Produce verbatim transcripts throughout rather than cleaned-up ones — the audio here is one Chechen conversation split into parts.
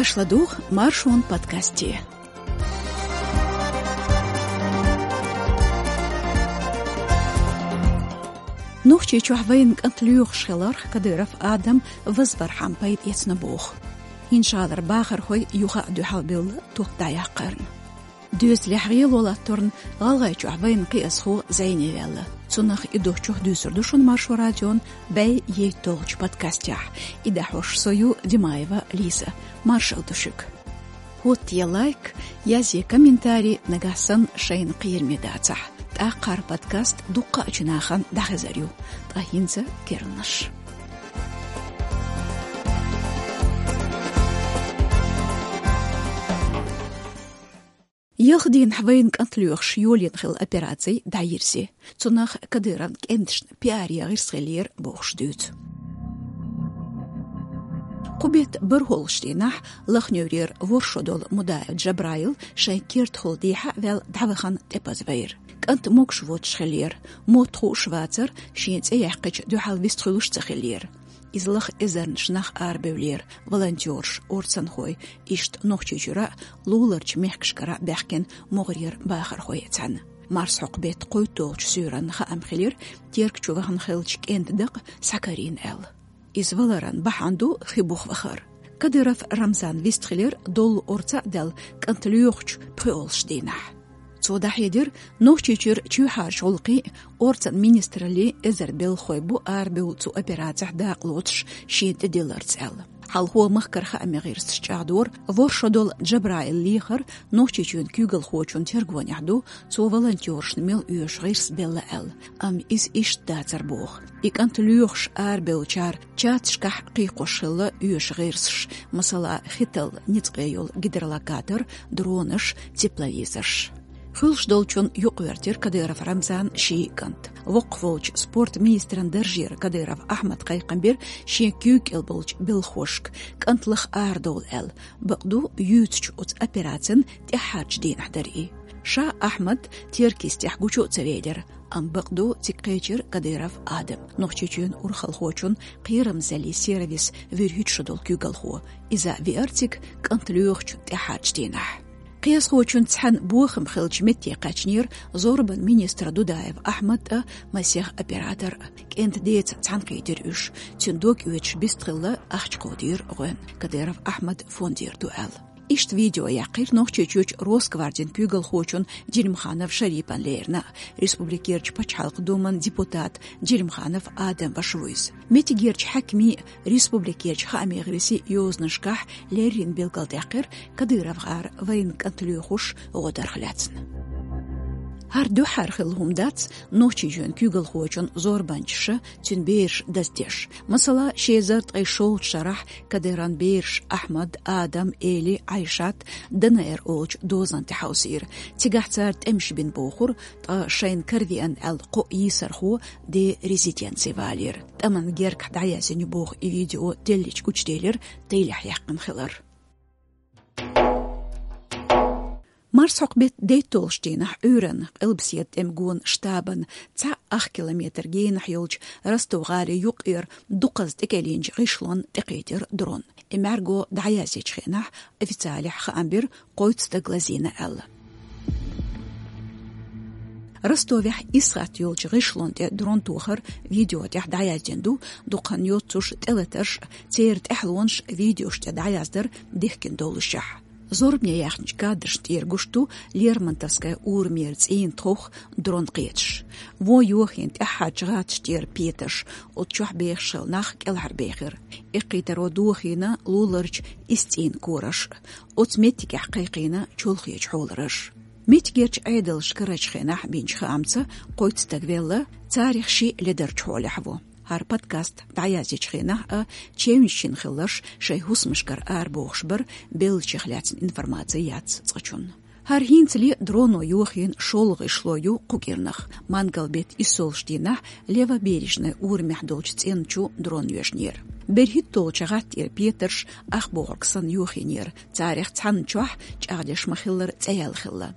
Аша ладугӀу Маршон подкасте. Нохчийчохь вайна кӀант лоьхуш хиларх Кадыров Адам вазвархьама пайда эцна боху. ХӀинцалара бахархой юха а дуьхьал бевлла топ дӀаяккхарна. Доьзалехь гӀело латторна ГӀалгӀайчохь вайна кхиазхо зӀене ваьлла. Цунах а, и дохучух а дуьйцур ду шуна Маршо радион бӀе ейтталгӀачу подкастехь. И дӀахьош со ю, Димаева Лиза. Маршалла ду шуьга. ХӀоттае лайк, язъе комментарий, нагахь санна шайна кхераме дацахь. ТӀаккха хӀара подкаст дуккха а чу нахана дӀахезар ю. Ткъа хӀинца керланаш. Ялх дийнахь вайна кӀант лоьхуш йолийна хилла операци дӀайирзи. Цунах Кадыровн кӀенташна пиаре гӀирс хиллера бохуш дуьйцу. Кху беттан бархӀолгӀачу дийнахь Лахневрера ворхӀ шо долу Мудаев Джабраил шайн кертахула дехьа а ваьлла дӀавахана тӀепаза вайра. КӀант могуш воцуш хиллера, мотт хууш вацара, шен цӀе яьккхича дуьхьал вистхуьлуш ца хиллера. Иза лаха эзарнаш нах арабевллера, волонтёраш, орцанхой, иштта Нохчийчуьра а, луларчу мехкашкара а баьхкина могӀарера бахархой а цхьаьна. Марсхьокху беттан кхойтталгӀачу суьйранна хаам хилира, Терка чу вахана хиллачу кӀентан дакъа схьакарийна аьлла. Иза валаран бахьана ду хи буха вахар. Кадыров Рамзан вистхилира доллу орца а даьлла кӀант лоьхучу пхоьалгӀачу дийнахь. Цо дӀахьедира, Нохчийчуьра чоьхьарчу гӀуллакхийн а, орцан министраллин а эзар белхахой бу арабевлла цу операцехь дакъа лоцуш шена тӀедилларца аьлла. Хьалхо махкара хаамийн гӀирсаша чӀагӀдора, ворхӀ шо долу Джабраил лехар Нохчийчоьнан куьйгалхочун тергонехь ду, цо волонтёрашна мел оьшу гӀирс белла аьлла, амма иза иштта дацара боху. И кӀант лоьхуш арабевллачара чаташкахь кхайкхош хилла оьшу гӀирсаш, масала, хи талла ницкъе йолу гидролокатор, дронаш, тепловизорш. Хуьлуш долчунна юкъавоьртира Кадыров Рамзанан ши кӀант. Воккхахволчу спорт министран даржера Кадыров Ахьмада кхайкхам бира шен куьйга кӀел болчу белхахошка, кӀант лаха арадовла аьлла, бакъду, юьйцучу оцу операцин тӀаьххьарчу дийнахь дара и. Ша Ахьмад Теркийстехь гучу а ца велира, амма бакъду, цига кхечира Кадыров Адам, Нохчийчоьнан урхалхочун кхерамзаллин сервисан вуьрхӀитта шо долу куьйгалхо. Иза а веара цига кӀант лоьхучу тӀаьххьарчу дийнахь. Кхиазхочуьнца цхьаьна бохам хиллачу метте кхаьчнера зорбанан министр Дудаев Ахьмад а, масех оператор а. КӀентан деца цхьаьна кхийтира уьш. Цуьнан дог оьцуш бистхилла ахча кховдийра гӀоьнна, Кадыров Ахьмадан фондера ду аьлла. Иштта видео яьккхира Нохчийчоьнан Росгвардин куьйгалхочун Делимханов Шарипан лерина а, Республикерчу Пачхьалкхан Думан депутат Делимханов Адам ваша ву иза. Меттигерчу хьаькамийн а, республикерчу хаамийн гӀирсийн а йозанашкахь леррина билгалдаьккхира КадыровгӀара вайна кӀант лоьхуш гӀо дарх лаьцна. ХӀара дуьххьара хилла хӀума дац Нохчийчоьнан куьйгалхочун зорбанчаша цуьнан бераш даздеш. Масала, ши эзар ткъе шолгӀачу шарахь Кадыровн бераш Ахьмад, Адам, Эли, Ӏайшат ДНР олучу дозан тӀе хьовсийра. Цигахь цара тӀемаш бина бохура, ткъа шайна каравеана аьлла кхо йийсархо ден резиденце валийра. ТӀеман гергахь дӀаяздина ю боху и видео деллачу гучуделира, тӀелехь яьккхина хилар. Марсхьокху беттан дейтталгӀачу дийнахь Ӏуьйранна Къилбаседа тӀеман гонан штабан цхьа ах километр генахь йолчу Ростов-гӀалин юккъера дукхазза тӀекӀелйинчу гӀишлонна тӀекхийтира дрон. И мӀаьрго дӀаяздечу хенахь официалехь хаам бира кхойтта стаг лазийна аьлла. Ростовехь Исхат йолчу гӀишлонна тӀе дрон тохар видео тӀехь дӀаяздина ду, дукха хан йоццуш тӀелатарш а, церан тӀаьхьалонаш а видеош тӀе дӀаяздар дихкина доллушехь. Зорбане яьхначу кадрашна тӀера гуш ду Лермонтовская урамера цӀийнан тховх дрон кхеташ. Вон йохийна тӀаьххьарчу гӀаташ тӀера петарш, оцу чохь бехаш хилла нах кӀелхьарбехира. Эккхийтаро дохийна луларчу исс цӀийнан кораш, оцу меттигехь кхайкхийна чолхечу хьолараш. Меттигерчу Ӏедалша карарчу хенахь бинчу хаамца, кхойтта стаг велла, царах шиъ ледарчу хьолехь ву. ХӀара подкаст дӀаяздечу хенахь а чевнаш чина хилларш шайн хӀусамашкара арабохуш бара, беллачех лаьцна информаци яц цкъачунна. ХӀара хӀинцале дроно йохийна шолгӀа гӀишло ю кху кӀирнах. Мангал-беттан иссолгӀачу дийнахь Левобережная урамехь долчу цӀен чу дрон йоьшнера. БерхӀитталгӀачу гӀатта тӀера петарш ах бохург санна йохийнера, царах цхьанна чохь, чӀагӀдеш ма-хиллара, цӀе яьлла хилла.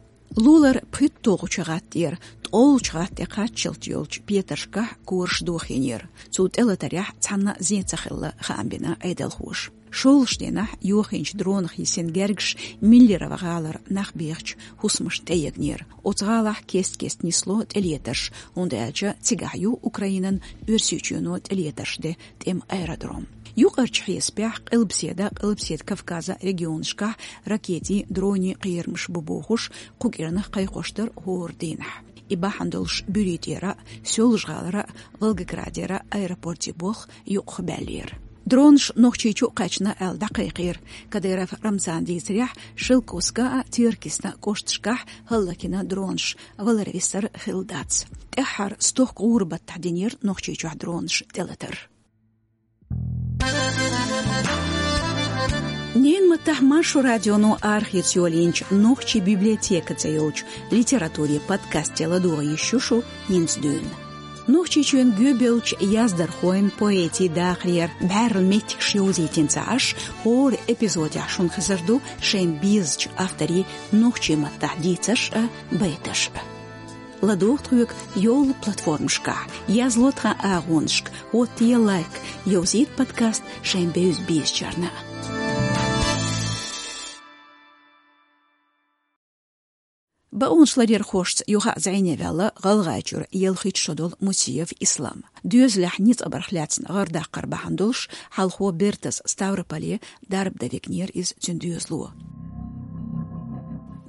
Лулара пхийтталгӀачу гӀатта тӀера ТӀолчу гӀатта тӀе кхаччалц йолчу петаршкахь кораш дохийнера. Цу тӀелатарехь цхьанна а зен ца хилла, хаам бина Ӏедалхоша. ШолгӀачу дийнахь йохийначу дронах йисина гергаш Миллерово гӀалара нах бехачу хӀусамашна тӀеегнера. Оцу гӀалахь кест-кеста нисло тӀелетарш, хӀунда аьлча цигахь ю Украинан Оьрсийчоьно тӀелетарш де тӀеман аэродром. Юкъарчу хьесапехь, Къилбаседа, Къилбаседа Кавказа регионашкахь ракетийн, дронийн кхерамаш бу бохуш, кху кӀирнах кхайкхош дара хӀора дийнахь. И бахьана долуш Буьртера а, Соьлжа-ГӀалара а, Волгоградера а аэропортийн болх юкъахбаьллера. Дронаш Нохчийчу а кхаьчна аьлла дӀакхайкхийра. Кадыров Рамзана дийцарехь, Шелковскан а, Теркйистан а кӀошташкахь хӀаллакйина дронаш, валар-висар хилла дац. ТӀаьххьара стохка гӀуран баттахь динера Нохчийчохь дронаш тӀелатар. Ненан маттахь Маршо радионо арахеца йолийначу «Нохчийн библиотека» цӀе йолчу литературин подкасте ладогӀа йиш ю шу хӀинца дуьйна. Нохчийчоьнан гӀоьбеллачу яздархойн, поэтийн дахарера бӀаьрла меттигаш йовзийтина ца Ӏаш, хӀора эпизодехь шуна хезар ду шайна безачу авторийн нохчийн маттахь дийцарш а, байташ а. ЛадогӀа тхоьга йолу платформашкахь, язло тхан агӀонашка, хӀоттае лайк, йовзийта подкаст шайн бевза-безачарна. Бакъонашларъярхошца юха а зӀене ваьлла ГӀалгӀайчуьра ялхитта шо долу Мусиев Ислам. Доьзалехь ницкъ барх лаьцна гӀар даккхар бахьана долуш, хьалхо бертаза Ставрополе дарба дан вигнера иза цуьнан доьзало.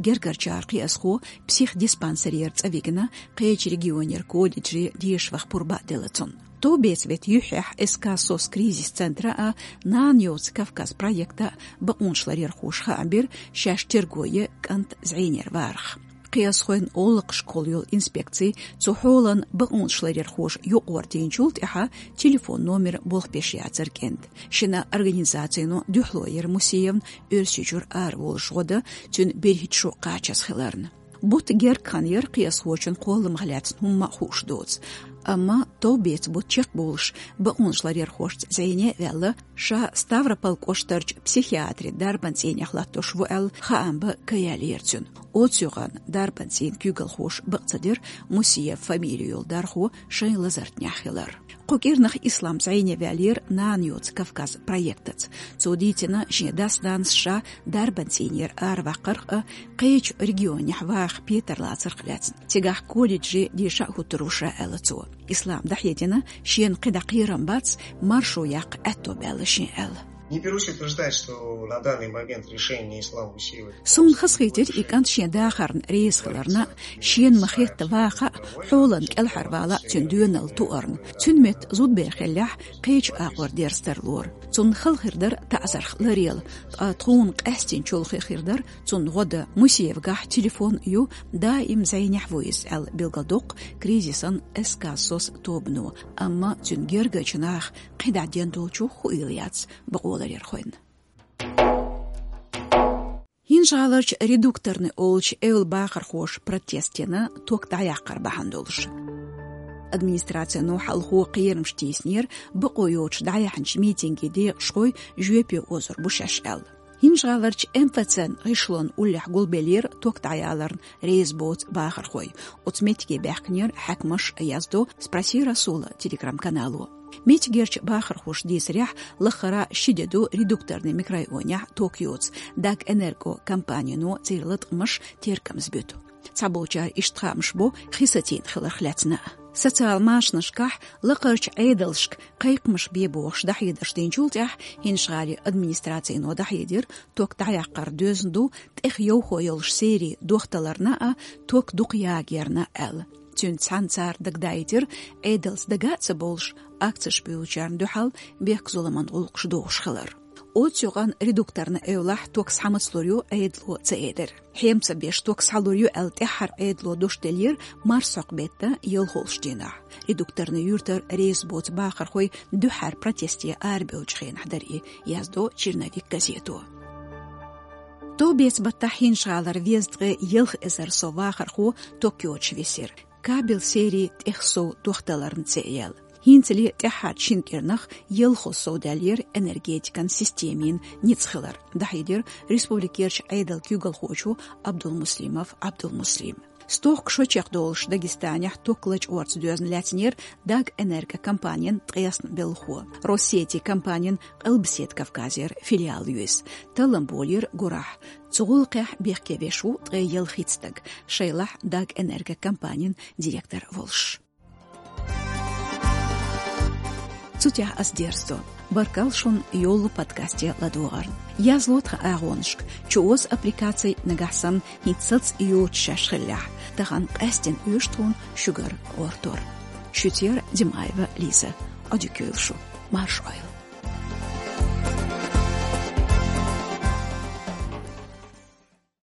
Гергарчара кхиазхо психдиспансерера цӀа вигна, кхечу регионера колледже деша ваха пурба а делла цунна. Товбеца-беттан юьххьехь СК «СОС» кризис центра а, «Нана йоцу Кавказ» проекта а бакъонашларъярхоша хаам бира шаьш терго е кӀант зӀенера варах. Кхиазхойн гӀуллакхашкахула йолу инспекци цу хьолан бакъонашларъярхоша юкъара дийначул тӀаьхьа телефон номер болх беш яцара кӀентан. Шина организацино дуьхьало йира Мусиевна Оьрсийчуьра араволуш гӀо дан, цуьнан берхӀитта шо кхачаза хиларна. Бутт герга хан яра кхиазхочун кхолламах лаьцна хӀумма а хууш доцу. Амма товбеца бутт чекхболуш бакъонашларъярхошца зӀене а ваьлла, ша Ставрополь кӀоштарчу психиатрин дарбан цӀийнехь латтош ву аьлла, хаам бан ка яьллера цуьнан. Оцу юкъанна дарбан цӀийнан куьйгалхоша бакъ ца дира Мусиев фамили йолу дархо шайн лазартнехь хилар. Кху кӀирнах Ислам зӀене ваьллера «Нана йоцу Кавказ» проектаца. Цо дийцина, шен дас-нанас ша дарбан цӀийнера араваккхарх а, кхечу регионехь ваха петар лацарх а лаьцна. Цигахь колледже деша а хӀуттур ву ша, аьлла цо. Ислама дӀахьедина, шена кхидӀа кхерам бац, маршо яккха аьтто баьлла шен аьлла. Не берусь утверждать, что на данный момент решение Ислама Мусиева... Суна хазахийтира и кӀант шен дахарна реза хиларна, шена ма-хетта ваха а, хьолан кӀелхьарвала а цуьнан доьналла туарна. Цуьнан метта зудбер хиллехь, кхечу агӀор дерза тарлора. Цунна хала хир дара таӀзарх ларъяла, ткъа тхуна къаьстина чолхе хир дара цунна гӀо дан. Мусиевгахь телефон ю, даим зӀенехь ву иза, аьлла билгалдоккху кризисан СК «СОС» тобано, амма цуьнан гергарчу наха кхидӀа ден долчух хуийла яц бакъоларъярхойн. ХӀинжа-ГӀаларчу Редукторный олучу эвла бахархоша протест йина ток дӀаяккхар бахьана долуш. Администрацино хьалхо кхерамаш тийсинера, бакъо йоцуш дӀаяьхьначу митинган декъашхой жоьпе озур бу шаьш аьлла. ХӀинжа-ГӀаларчу МФЦ-н гӀишлон уллехь гулбеллера ток дӀаяларна реза боцу бахархой. Оцу меттиге баьхкинера хьаькамаш, яздо «Спроси Расула» телеграм-канало. Меттигерчу бахархоша дийцарехь, лаххара ши де ду Редукторный микрорайонехь ток йоцу, Дагэнерго компанино церан латкъамаш теркамза буьту. Цхьаболчара иштта хаамаш бо хи сацийна хиларх лаьцна а. Социал машанашкахь лакхарчу Ӏедалшка кхайкхамаш бе бохуш дӀахьедарш динчул тӀаьхьа, ХӀинжа-ГӀалин администрацино дӀахьедира, ток дӀаяккхар доьзна ду тӀех йовхо йолуш серий дохталарна а, ток дукха ягъярна аьлла. Цуьнца цхьаьна цара дагадаийтира, Ӏедалца дага а ца бовлуш, акцеш буьйлучарна дуьхьал бехк-зуламан гӀуллакхаш дохуш хилар. Оцу юкъанна Редукторный эвлахь ток схьа ма ца лур ю Ӏедало ца элира. Хьем ца беш ток схьалур ю аьлла, тӀаьххьара Ӏедало дош деллера марсхьокху беттан ялхолгӀачу дийнахь. Редукторный юьртара реза боцу бахархой дуьххьара протесте арабевллачу хенахь дара и, яздо «Черновик» газето. Товбеца баттахь ХӀинжа-ГӀалара везткъе ялх эзар сов вахархо ток йоцуш висира. Кабель серий тӀех сов дохталарна цӀе а яьлла. ХӀинцале тӀаьххьарчу шина кӀирнах ялхо сов даьллера энергетикан системин ницкъ хилар, дӀахьедира республикерчу Ӏедалан куьйгалхочо Абдулмуслимов Абдулмуслима. Стохка шо чекхдолуш Дагестанехь ток лачкъорца доьзна лаьцнера Дагэнерго компанин ткъесна белхо. Россети компанин Къилбаседа Кавказера филиал ю иза. Таллам болийра гурахь. Цу гӀуллакхехь бехке веш ву ткъе ялхитта стаг, шайлахь Дагэнерго компанин директор волуш. Цу тӀехь ас дерзадо. Баркалла шуна йолу подкасте ладогӀарна. Язло тхан агӀонашка, чуоза аппликаций, нагахь санна хӀинца саца йоцуш шаьш хиллехь. Тахана къаьстина оьшу тхуна шуьгара гӀортор. Шуьца яра Димаева Лиза. Ӏодика йойла шу. Марша Ӏойла.